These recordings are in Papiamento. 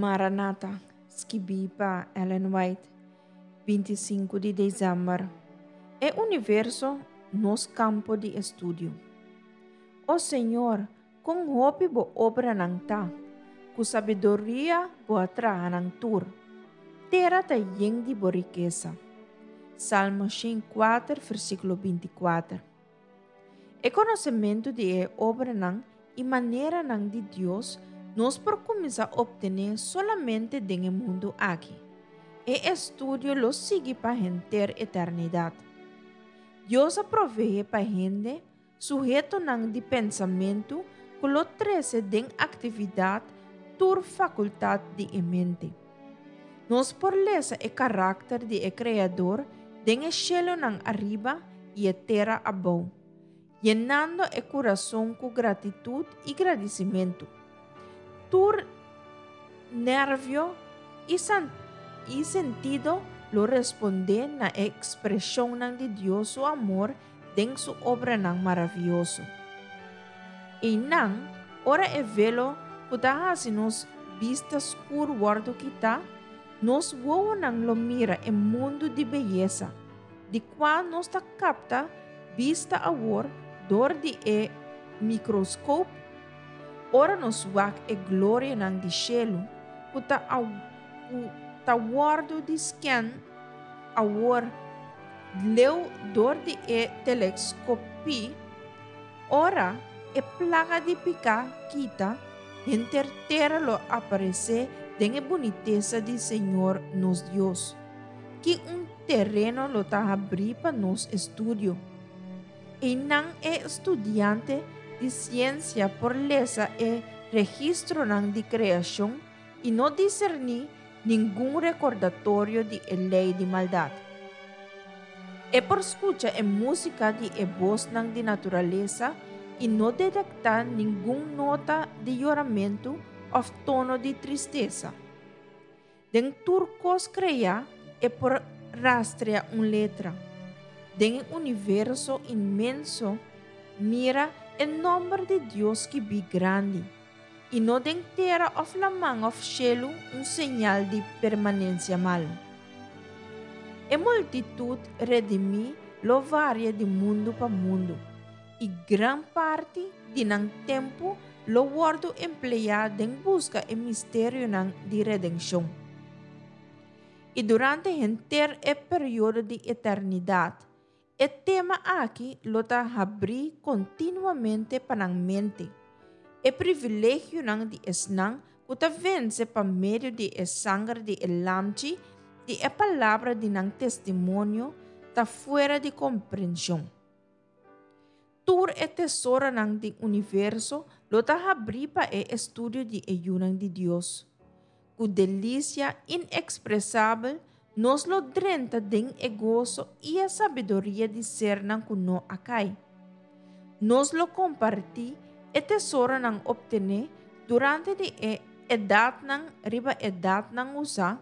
Maranata, skibí pa Ellen White, 25 di desèmber. E universo, nos kampo di estudio. O Señor, kon hopi bo obranan ta! Ku sabiduria bo a traha nan tur. Tera ta yen di bo rikesa. Salmo 104, versíkulo 24. E konosementu di e obranan i maneranan di Dios nos por kuminsá optené solamente den e mundu aki. E estudio lo sigui pa henter eternidat. Dios a proveé pa hende Suhetonan di pensamentu ku lo trese den aktividat tur fakultat di e mente. Nos por lesa e karakter di e Kreador den e shelunan ariba i e tera abou, yenando e kurason ku gratitut i gradisimentu. Tur nervio i i sentido lo respondé na e ekspreshonnan di Dios su amor den su obranan maravioso. Einan, ora e velo ku ta hasi nos bista skur wòrdu kitá, nos wowonan lo mira e mundu di beyesa, di kua nos ta kapta bista awor dor di e mikroskop ora nos wak e glorianan di shelu ku ta ku ta wòrdu di skèn awor Leu dor di e teleskopí, ora e plaga di piká kita, henter tera lo aparesé den e bunitesa di Señor nos Dios. Ki un tereno lo ta habrí pa nos estudio! Einan e studiante di siensia por lesa e registronan di kreashon i no diserní ningun rekordatorio di e lei di maldat. E por skucha e músika di e bosnan di naturalesa i no detektá ningun nota di yoramentu òf tono di tristesa. Den tur kos kreá e por rastrea un letra. Den e universo inmenso mira e nòmber di Dios skibí grandi. I no den tera òf laman òf shelu un señal di permanensia malu. E multitut redimí lo varia di mundu pa mundu, i gran parti di nan tempu lo wòrdu empleá den buska e misterionan di redenshon. I durante henter e periodo di eternidat, E tema aki lo ta habrí kontinuamente pa nan mente. E privilegionan di esnan ku ta vense pa medio di e sanger di e Lamchi i e palabra di nan testimonio ta fuera di komprenshon. Tur e tesoronan di universo lo ta habrí pa e estudio di e yunan di Dios. Ku delisia inèkspresabel nos lo drenta den e goso i e sabiduria di sernan ku no a kai. Nos lo kompartí e tesoronan optené durante di e edatnan riba edatnan usá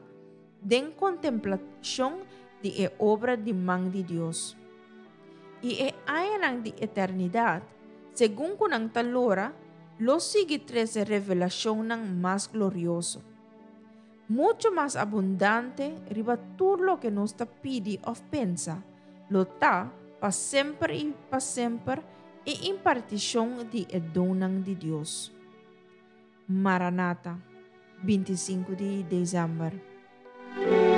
den kontemplashon di e obra di man di Dios. I e añanan di eternidat, segun ku nan ta lora, lo sigui trese revelashonnan mas glorioso, muchu mas abundante riba tur loke nos ta pidi òf pensa, lo ta pa semper i pa semper e impartishon di e donnan di Dios. Maranata, 25 di desèmber.